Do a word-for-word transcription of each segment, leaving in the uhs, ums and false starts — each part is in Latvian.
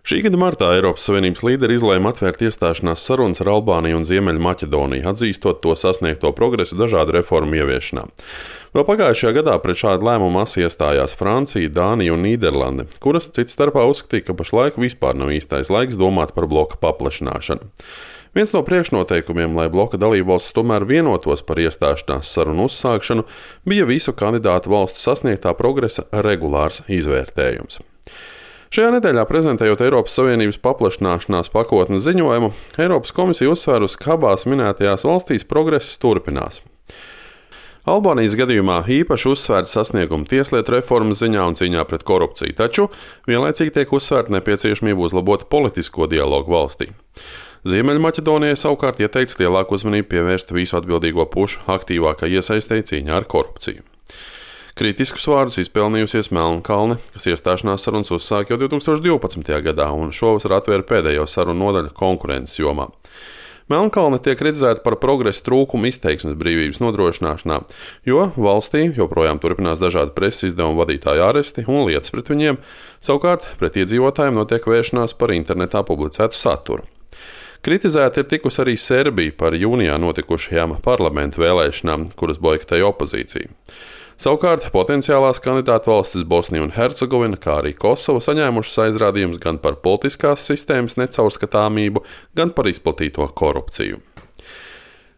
Šī gada martā Eiropas Savienības līderi izlēma atvērt iestāšanās sarunas ar Albāniju un Ziemeļmaķedoniju, atzīstot to sasniegto progresu dažādu reformu ieviešanā. Vēl pagājušajā gadā pret šādu lēmumu asi iestājās Francija, Dānija un Nīderlande, kuras cits starpā uzskatīja, ka pašlaik vispār nav īstais laiks domāt par bloka paplašināšanu. Viens no priekšnoteikumiem, lai bloka dalībvalstis tomēr vienotos par iestāšanās sarunu uzsākšanu, bija visu kandidātu valstu sasniegtā progresa regulārs izvērtējums. Šajā nedēļā, prezentējot Eiropas Savienības paplašināšanās pakotnes ziņojumu, Eiropas komisija uzsvērusi, ka abās minētajās valstīs progress turpinās. Albānijas gadījumā īpaši uzsvērta sasnieguma tieslietu reformas ziņā un cīņā pret korupciju, taču vienlaicīgi tiek uzsvērta nepieciešamība uzlabot politisko dialogu valstī. Ziemeļmaķedonijai savukārt ieteikts lielāku uzmanību pievērst visu atbildīgo pušu aktīvākai iesaistei cīņā ar korupciju. Kritiskus vārdus izpelnījusies Melnkalne, kas iestāšanās sarunas uzsāka jau divi tūkstoši divpadsmitajā gadā un šovasar atvēra pēdējo sarunu nodaļu konkurences jomā. Melnkalne tiek kritizēta par progresa trūkumu izteiksmes brīvības nodrošināšanā, jo valstī joprojām turpinās dažādi preses izdevumu vadītāju aresti un lietas pret viņiem, savukārt pret iedzīvotājiem notiek vēršanās par internetā publicētu saturu. Kritizēta ir tikusi arī Serbija par jūnijā notikušajām parlamentu vēlēšanām, kuras boikotēja opozīcija. Savukārt potenciālās kandidātu valstis Bosnija un Hercegovina, kā arī Kosova saņēmušas aizrādījumus gan par politiskās sistēmas necaurskatāmību, gan par izplatīto korupciju.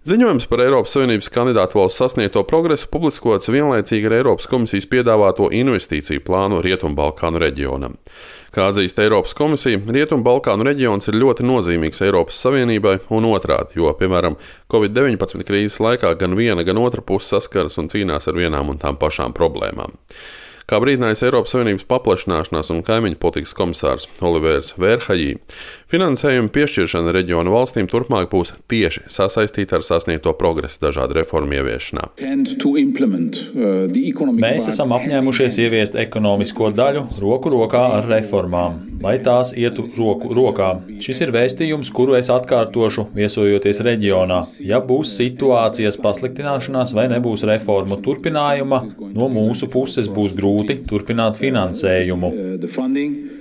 Ziņojums par Eiropas Savienības kandidātu valstu sasniegto progresu publiskots vienlaicīgi ar Eiropas komisijas piedāvāto investīciju plānu Rietumbalkānu reģionam. Kā atzīst Eiropas komisija, Rietumbalkānu reģions ir ļoti nozīmīgs Eiropas Savienībai un otrādi, jo, piemēram, covid deviņpadsmit krīzes laikā gan viena, gan otra puse saskaras un cīnās ar vienām un tām pašām problēmām. Kā brīdinājis Eiropas Savienības paplašināšanās un kaimiņu politikas komisārs Olivers Verhajī, finansējuma piešķiršana reģionu valstīm turpmāk būs tieši sasaistīta ar sasniegto progresu dažādu reformu ieviešanā. Mēs esam apņēmušies ieviest ekonomisko daļu roku rokā ar reformām, lai tās ietu roku rokā. Šis ir vēstījums, kuru es atkārtošu, viesojoties reģionā. Ja būs situācijas pasliktināšanās vai nebūs reformu turpinājuma, no mūsu puses būs grūti turpināt finansējumu.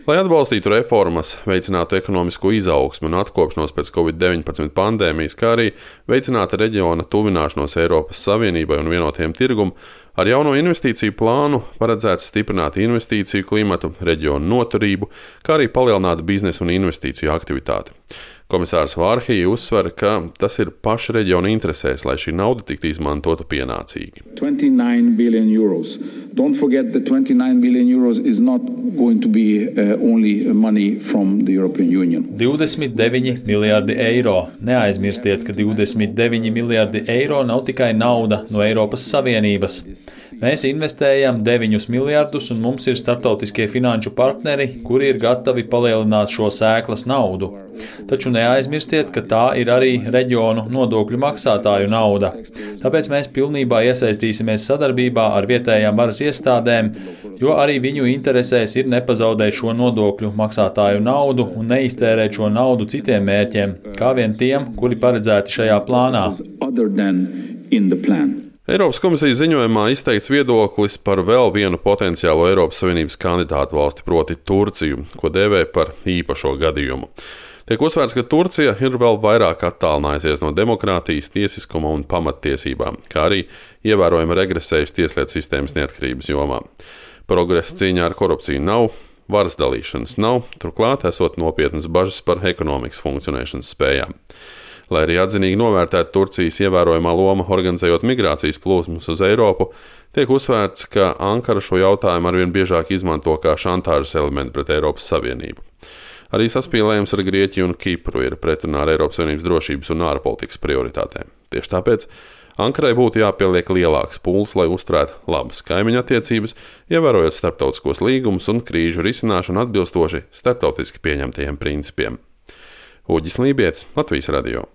Lai atbalstītu reformas, veicinātu ekonomisko izaugsmu un atkopšanos pēc covid deviņpadsmit pandēmijas, kā arī veicinātu reģiona tuvināšanos Eiropas Savienībai un vienotiem tirgumu, ar jauno investīciju plānu paredzēts stiprināt investīciju klimatu, reģionu noturību, kā arī palielināt biznesa un investīciju aktivitāti. Komisārs Vārhī uzsver, ka tas ir paša reģiona interesēs, lai šī nauda tiktu izmantota pienācīgi. twenty-nine billion euros. Don't forget that twenty-nine billion euros is not going to be uh, only money from the European Union. divdesmit deviņi miljardi eiro. Neaizmirstiet, ka divdesmit deviņi miljardi eiro nav tikai nauda no Eiropas Savienības. Mēs investējam deviņus miljardus un mums ir starptautiskie finanšu partneri, kuri ir gatavi palielināt šo sēklas naudu. Taču neaizmirstiet, ka tā ir arī reģionu nodokļu maksātāju nauda. Tāpēc mēs pilnībā iesaistīsimies sadarbībā ar vietējām varas iestādēm, jo arī viņu interesēs ir nepazaudēt šo nodokļu maksātāju naudu un neiztērēt šo naudu citiem mērķiem, kā vien tiem, kuri paredzēti šajā plānā. Eiropas komisijas ziņojumā izteikts viedoklis par vēl vienu potenciālo Eiropas Savienības kandidātu valsti, proti Turciju, ko dēvē par īpašo gadījumu. Tiek uzsvērts, ka Turcija ir vēl vairāk attālinājusies no demokrātijas, tiesiskuma un pamattiesībām, kā arī ievērojami regresējusi tieslietu sistēmas neatkarības jomā. Progresa cīņā ar korupciju nav, varas dalīšanas nav, turklāt esot nopietnas bažas par ekonomikas funkcionēšanas spējām. Lai arī atzinīgi novērtētu Turcijas ievērojamā loma organizējot migrācijas plūsmas uz Eiropu, tiek uzsvērts, ka Ankara šo jautājumu arvien biežāk izmanto kā šantāžas elementu pret Eiropas Savienību. Arī saspīlējums ar Grieķiju un Kipru ir pretrunā ar Eiropas Savienības drošības un ārpolitikas prioritātēm. Tieši tāpēc Ankarai būtu jāpieliek lielāks pūles, lai uzturētu labas kaimiņu attiecības, ievērojot starptautiskos līgumus un krīžu risināšanu atbilstoši starptautiski pieņemtajiem principiem. Uģis Lībietis, Latvijas radio.